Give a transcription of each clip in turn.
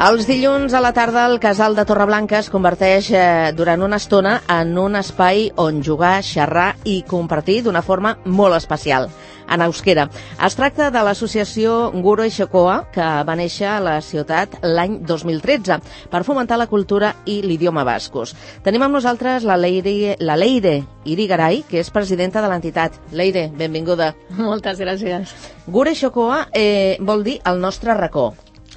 Els dilluns a la tarda el casal de Torreblanca es converteix durant una estona en un espai on jugar, xerrar i compartir d'una forma molt especial, en euskera. Es tracta de l'associació Guro Ixokoa, que va néixer a la ciutat l'any 2013 per fomentar la cultura i l'idioma bascos. Tenim amb nosaltres la Leire Irigaray, que és presidenta de l'entitat. Leire, benvinguda. Moltes gràcies. Guro Ixokoa vol dir el nostre racó.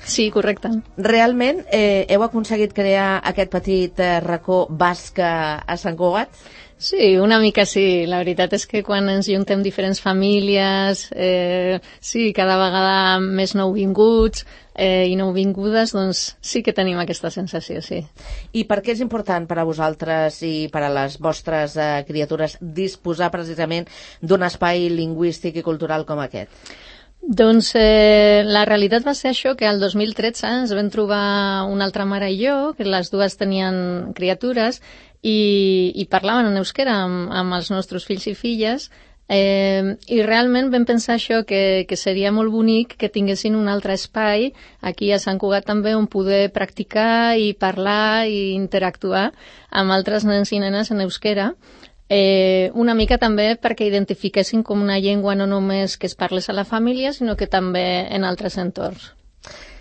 Sí, correcte. Realment heu aconseguit crear aquest petit racó basc a Sant Cugat? Sí, una mica sí. La veritat és que quan ens juntem diferents famílies, sí, cada vegada més nouvinguts i nouvingudes, doncs sí que tenim aquesta sensació, sí. I per què és important per a vosaltres i per a les vostres criatures disposar precisament d'un espai lingüístic i cultural com aquest? Doncs la realitat va ser això, que el 2013 ens vam trobar una altra mare i jo, que les dues tenien criatures, i parlaven en euskera amb els nostres fills i filles, i realment vam pensar això, que seria molt bonic que tinguessin un altre espai aquí a Sant Cugat també on poder practicar i parlar i interactuar amb altres nens i nenes en euskera. Una mica també perquè identifiquessin com una llengua no només que es parles a la família, sinó que també en altres entorns.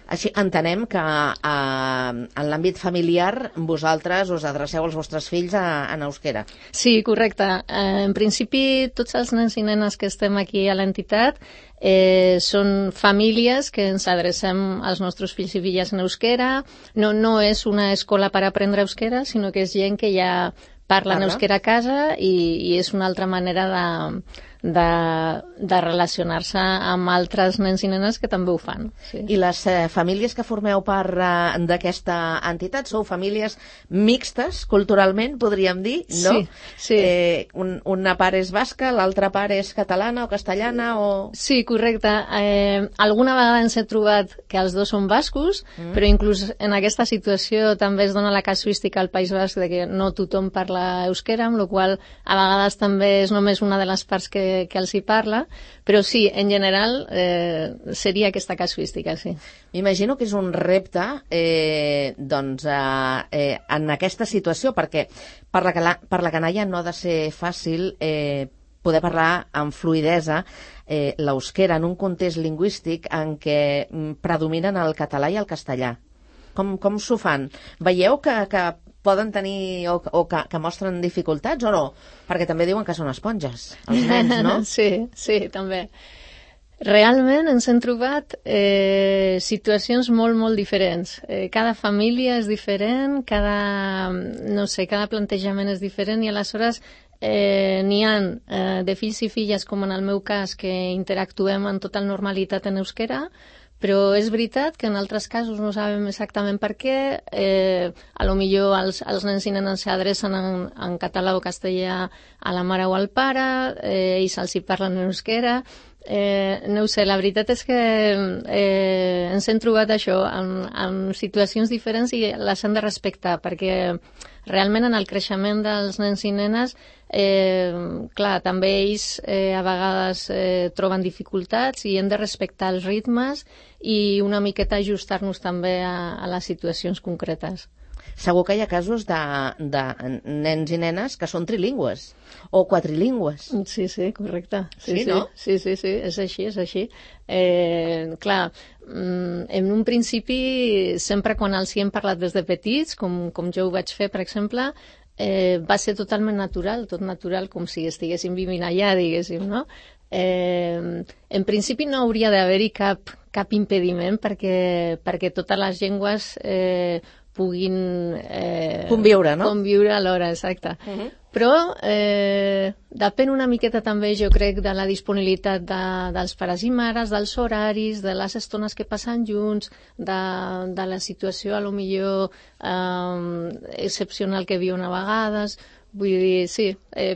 Així entenem que en l'àmbit familiar vosaltres us adreceu als vostres fills en euskera. Sí, correcte. En principi, tots els nens i nenes que estem aquí a l'entitat són famílies que ens adrecem als nostres fills i filles en euskera. No és una escola per aprendre euskera, sinó que és gent que ja parlen euskera a casa i és una altra manera de relacionar-se amb altres nens i nenes que també ho fan. Sí. I les famílies que formeu part d'aquesta entitat sou famílies mixtes, culturalment, podríem dir, no? Sí. Una part és basca, l'altra part és catalana o castellana o... Sí, correcte. Alguna vegada ens he trobat que els dos són bascos, però inclús en aquesta situació també es dona la casuística al País Basc de que no tothom parla euskera, amb la qual a vegades també és només una de les parts que els hi parla, però sí, en general seria aquesta casuística, sí. M'imagino que és un repte en aquesta situació, perquè per la canalla no ha de ser fàcil poder parlar amb fluïdesa l'euskera en un context lingüístic en què predominen el català i el castellà. Com s'ho fan? Veieu que poden tenir o que mostren dificultats o no? Perquè també diuen que són esponges, els nens, no? Sí, també. Realment ens hem trobat situacions molt, molt diferents. Cada família és diferent, cada plantejament és diferent i aleshores n'hi ha de fills i filles, com en el meu cas, que interactuem en total normalitat en euskera, però és veritat que en altres casos no sabem exactament per què. A lo millor els nens i nenes s'adrecen en català o castellà a la mare o al pare i se'ls hi parlen en euskera. No ho sé, la veritat és que ens hem trobat això en situacions diferents i les hem de respectar, perquè realment en el creixement dels nens i nenes clar, també ells a vegades troben dificultats i hem de respectar els ritmes i una miqueta ajustar-nos també a les situacions concretes. Segur que hi ha casos de nens i nenes que són trilingües o quadrilingües. Sí, correcte. Sí, no? Sí, és així. Clar, en un principi, sempre quan els hi hem parlat des de petits, com jo ho vaig fer, per exemple, va ser totalment natural, tot natural, com si estiguéssim vivint allà, diguéssim, no? En principi no hauria d'haver-hi cap impediment perquè totes les llengües puguin conviure, no? Conviure alhora, exacte. Però depèn una miqueta també, jo crec, de la disponibilitat dels pares i mares, dels horaris, de les estones que passen junts, de la situació, a lo millor excepcional que viuen a vegades. Vull dir, sí,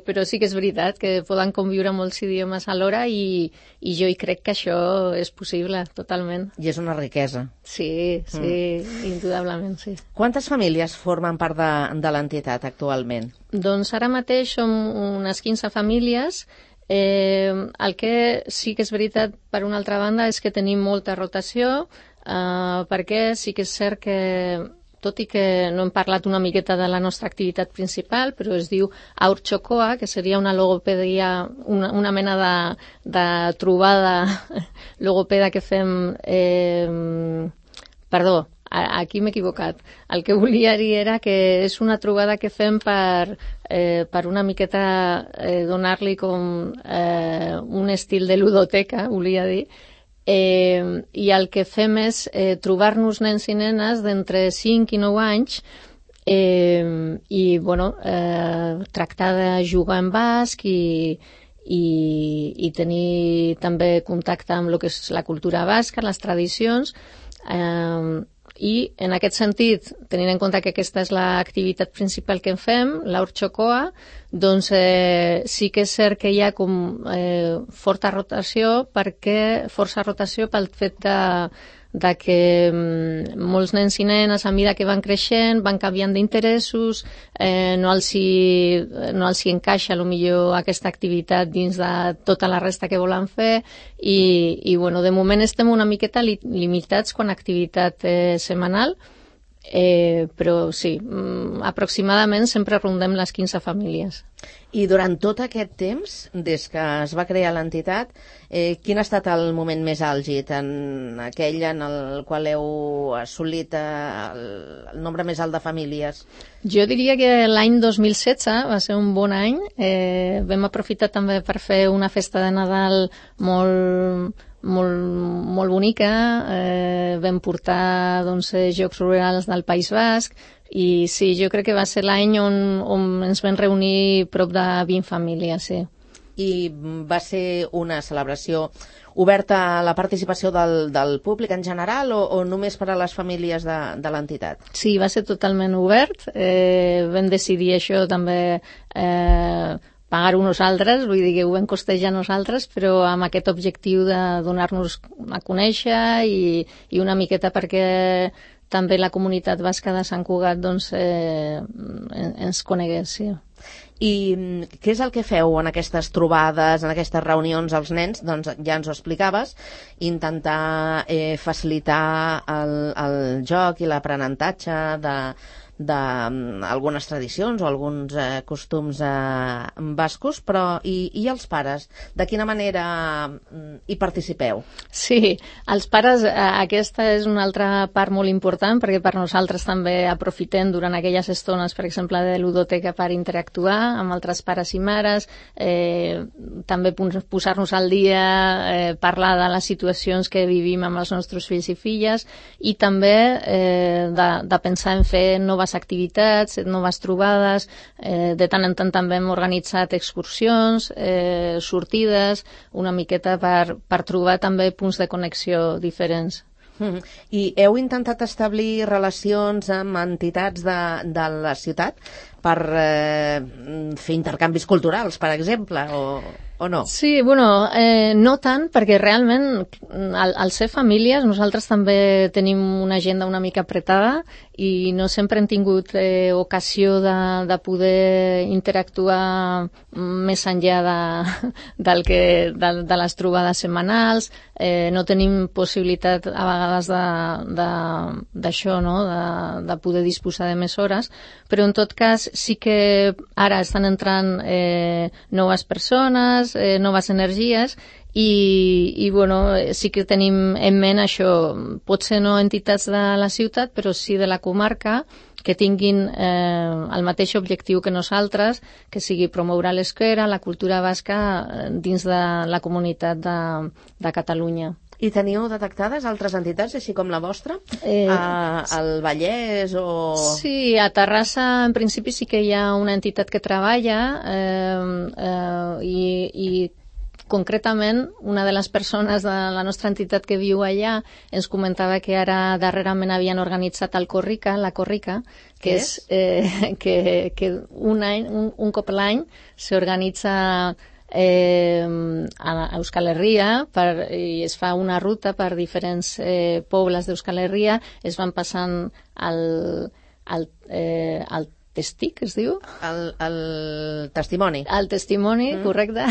però sí que és veritat que poden conviure molts idiomes alhora i jo hi crec que això és possible, totalment. I és una riquesa. Sí, indudablement, sí. Quantes famílies formen part de l'entitat actualment? Doncs ara mateix som unes 15 famílies. El que sí que és veritat, per una altra banda, és que tenim molta rotació. perquè sí que és cert que, tot i que no hem parlat una miqueta de la nostra activitat principal, però es diu Haurtxokoa, que seria una logopedia, una mena de trobada logopeda que fem... Perdó, aquí m'he equivocat. El que volia dir era que és una trobada que fem per una miqueta donar-li com un estil de ludoteca, volia dir, i el que fem és trobar-nos nens i nenes d'entre 5 i 9 anys i bueno, tractar de jugar en basc i tenir també contacte amb el que és la cultura basca, les tradicions, i en aquest sentit, tenint en compte que aquesta és l'activitat principal que en fem, l'Haurtxokoa, doncs sí que és cert que hi ha com força rotació pel fet de que molts nens i nenes a mesura que van creixent van canviant d'interessos, no els hi encaixa millor aquesta activitat dins de tota la resta que volen fer i bueno, de moment estem una miqueta limitats quan a activitat setmanal, però sí, aproximadament sempre rondem les 15 famílies. I durant tot aquest temps, des que es va crear l'entitat, quin ha estat el moment més àlgid, en aquell en el qual heu assolit el nombre més alt de famílies? Jo diria que l'any 2016 va ser un bon any. Vam aprofitar també per fer una festa de Nadal molt bonica, vam portar Jocs Rurals del País Basc i sí, jo crec que va ser l'any on ens vam reunir prop de 20 famílies, sí. I va ser una celebració oberta a la participació del públic en general o només per a les famílies de l'entitat? Sí, va ser totalment obert. Vam decidir això també pagar-ho nosaltres, vull dir que ho vam costejar nosaltres, però amb aquest objectiu de donar-nos a conèixer i una miqueta perquè també la comunitat basca de Sant Cugat ens conegués, sí. I què és el que feu en aquestes trobades, en aquestes reunions als nens? Doncs ja ens ho explicaves, intentar facilitar el joc i l'aprenentatge d'algunes tradicions o alguns costums bascos, però i els pares? De quina manera hi participeu? Sí, els pares, aquesta és una altra part molt important perquè per nosaltres també aprofitem durant aquelles estones, per exemple, de ludoteca per interactuar amb altres pares i mares, també posar-nos al dia, parlar de les situacions que vivim amb els nostres fills i filles i també de pensar en fer noves activitats, noves trobades, de tant en tant també hem organitzat excursions, sortides, una miqueta per trobar també punts de connexió diferents. I heu intentat establir relacions amb entitats de la ciutat per fer intercanvis culturals, per exemple, o no? Sí, bueno, no tant, perquè realment al ser famílies nosaltres també tenim una agenda una mica apretada i no sempre hem tingut ocasió de poder interactuar més enllà de les trobades setmanals, no tenim possibilitat a vegades d'això, no? de poder disposar de més hores, però en tot cas sí que ara estan entrant noves persones, noves energies i bueno, sí que tenim en ment això, potser no entitats de la ciutat, però sí de la comarca, que tinguin el mateix objectiu que nosaltres, que sigui promoure l'euskera, la cultura basca dins de la comunitat de Catalunya. I teniu detectades altres entitats, així com la vostra? Al Vallès o...? Sí, a Terrassa en principi sí que hi ha una entitat que treballa i concretament una de les persones de la nostra entitat que viu allà ens comentava que ara darrerament havien organitzat la Corrica, que és que un cop l'any s'organitza a Euskal Herria i es fa una ruta per diferents pobles d'Euskal Herria, es van passant el testic, es diu? El testimoni. El testimoni, correcte.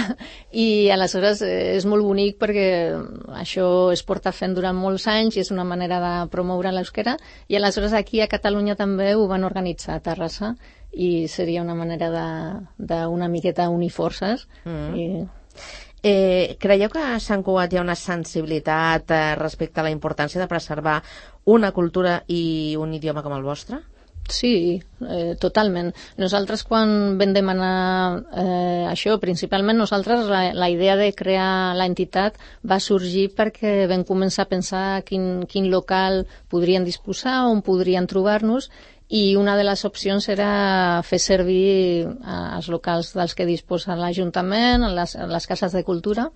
I aleshores és molt bonic perquè això es porta fent durant molts anys i és una manera de promoure l'euskera. I aleshores aquí a Catalunya també ho van organitzar a Terrassa i seria una manera d'una miqueta unir forces. Creieu que a Sant Cugat hi ha una sensibilitat respecte a la importància de preservar una cultura i un idioma com el vostre? Sí, totalment. Nosaltres quan vam demanar això, principalment nosaltres la idea de crear l'entitat va sorgir perquè vam començar a pensar quin local podrien disposar, on podrien trobar-nos, i una de les opcions era fer servir els locals dels que disposa l'Ajuntament, les cases de cultura,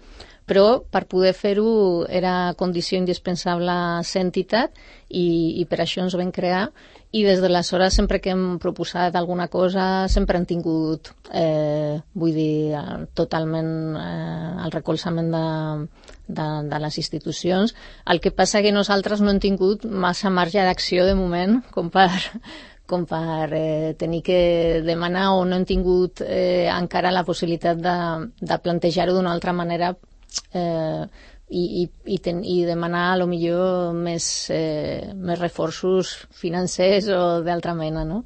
però per poder fer-ho era condició indispensable ser entitat i per això ens vam crear. I des d'aleshores, sempre que hem proposat alguna cosa, sempre hem tingut, totalment el recolzament de les institucions. El que passa que nosaltres no hem tingut massa marge d'acció de moment, com per tenir que demanar, o no hem tingut encara la possibilitat de plantejar-ho d'una altra manera i demanar a lo millor més reforços financers o d'altra mena, no?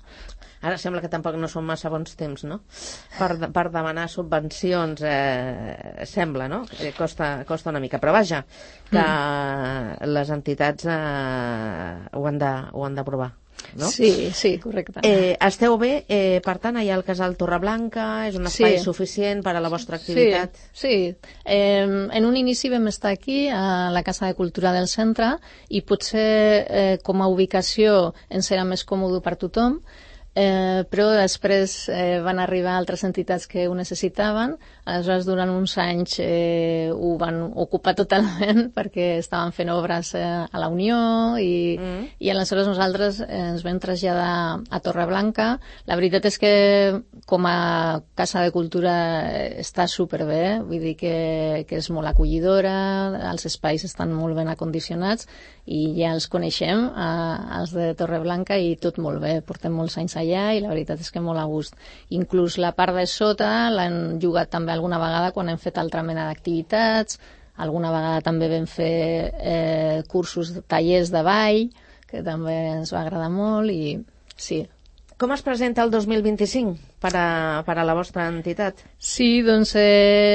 Ara sembla que tampoc no són massa bons temps, no? Per demanar subvencions, sembla, no? Costa una mica. Però vaja, que les entitats ho han d'aprovar. No? Sí, correcte. Esteu bé, per tant, allà al Casal Torreblanca, és un espai suficient per a la vostra activitat? Sí. En un inici vam estar aquí, a la Casa de Cultura del centre, i potser com a ubicació ens era més còmode per tothom, però després van arribar altres entitats que ho necessitaven. Aleshores, durant uns anys ho van ocupar totalment perquè estaven fent obres a la Unió i aleshores nosaltres ens vam traslladar a Torreblanca. La veritat és que com a Casa de Cultura està superbé, vull dir que és molt acollidora, els espais estan molt ben acondicionats i ja els coneixem, els de Torreblanca, i tot molt bé, portem molts anys allà i la veritat és que molt a gust. Inclús la part de sota l'han jugat també alguna vegada quan hem fet altra mena d'activitats, alguna vegada també vam fer cursos, tallers de ball, que també ens va agradar molt, i sí. Com es presenta el 2025 per a la vostra entitat? Sí, doncs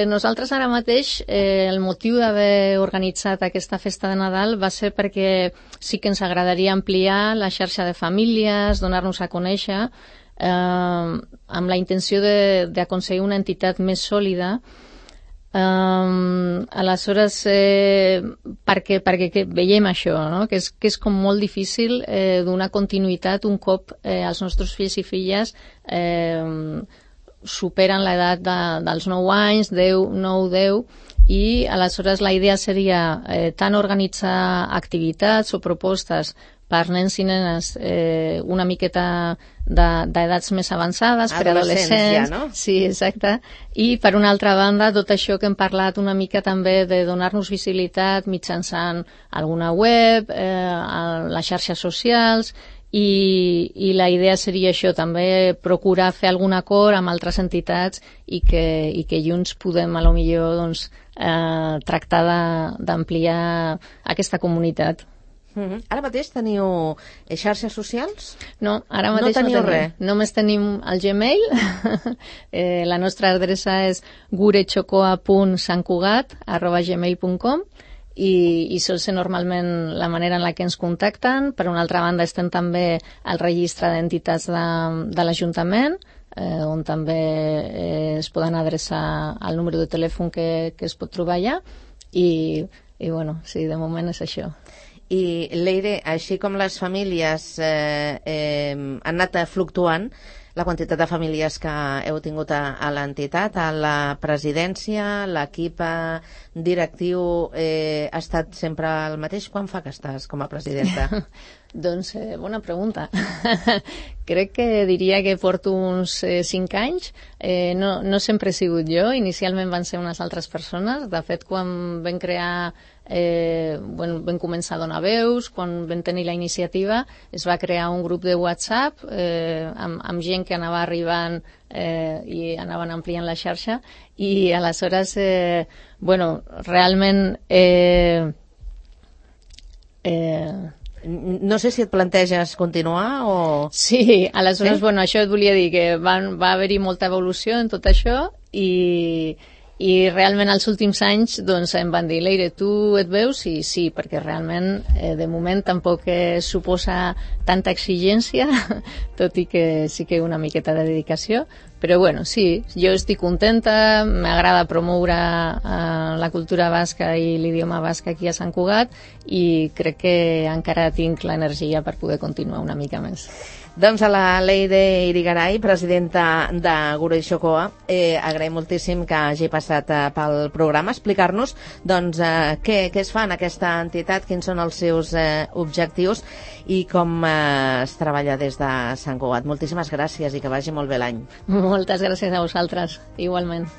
nosaltres ara mateix el motiu d'haver organitzat aquesta festa de Nadal va ser perquè sí que ens agradaria ampliar la xarxa de famílies, donar-nos a conèixer, amb la intenció d'aconseguir una entitat més sòlida. Aleshores, perquè veiem això, no? que és com molt difícil donar continuïtat un cop els nostres fills i filles superen l'edat dels 9 anys, 9-10, i aleshores la idea seria tant organitzar activitats o propostes per nens i nenes una miqueta d'edats més avançades, per adolescents. Ja, no? Sí, exacte. I per una altra banda, tot això que hem parlat una mica també de donar-nos visibilitat mitjançant alguna web, les xarxes socials, i la idea seria això, també procurar fer algun acord amb altres entitats i que junts podem a lo millor doncs, tractar d'ampliar aquesta comunitat. Ara mateix teniu xarxes socials? No, ara mateix no teniu res. Només tenim el Gmail. La nostra adreça és gurechocoa.santcugat@gmail.com i sol ser normalment la manera en la que ens contacten. Per una altra banda, estem també al registre d'entitats de l'Ajuntament, on també es poden adreçar al número de telèfon que es pot trobar allà, i bueno, sí, de moment és això. I Leire, així com les famílies han anat fluctuant, la quantitat de famílies que heu tingut a l'entitat, a la presidència, l'equip directiu ha estat sempre el mateix? Quan fa que estàs com a presidenta? Doncs bona pregunta. Crec que diria que porto uns 5 anys. No sempre he sigut jo, inicialment van ser unes altres persones. De fet, quan vam crear vam començar a donar veus, quan vam tenir la iniciativa es va crear un grup de WhatsApp amb gent que anava arribant i anaven ampliant la xarxa, i aleshores realment no sé si et planteges continuar o... Sí, aleshores, això et volia dir, que va haver-hi molta evolució en tot això, i realment als últims anys doncs em van dir, Leire, tu et veus? I sí, perquè realment de moment tampoc suposa tanta exigència, tot i que sí que una miqueta de dedicació, però sí, jo estic contenta, m'agrada promoure la cultura basca i l'idioma basc aquí a Sant Cugat, i crec que encara tinc l'energia per poder continuar una mica més. Doncs a la Leire Irigaray, presidenta de Gurutze Txokoa, agraïm moltíssim que hagi passat pel programa, explicar-nos què es fa en aquesta entitat, quins són els seus objectius i com es treballa des de Sant Cugat. Moltíssimes gràcies i que vagi molt bé l'any. Moltes gràcies a vosaltres, igualment.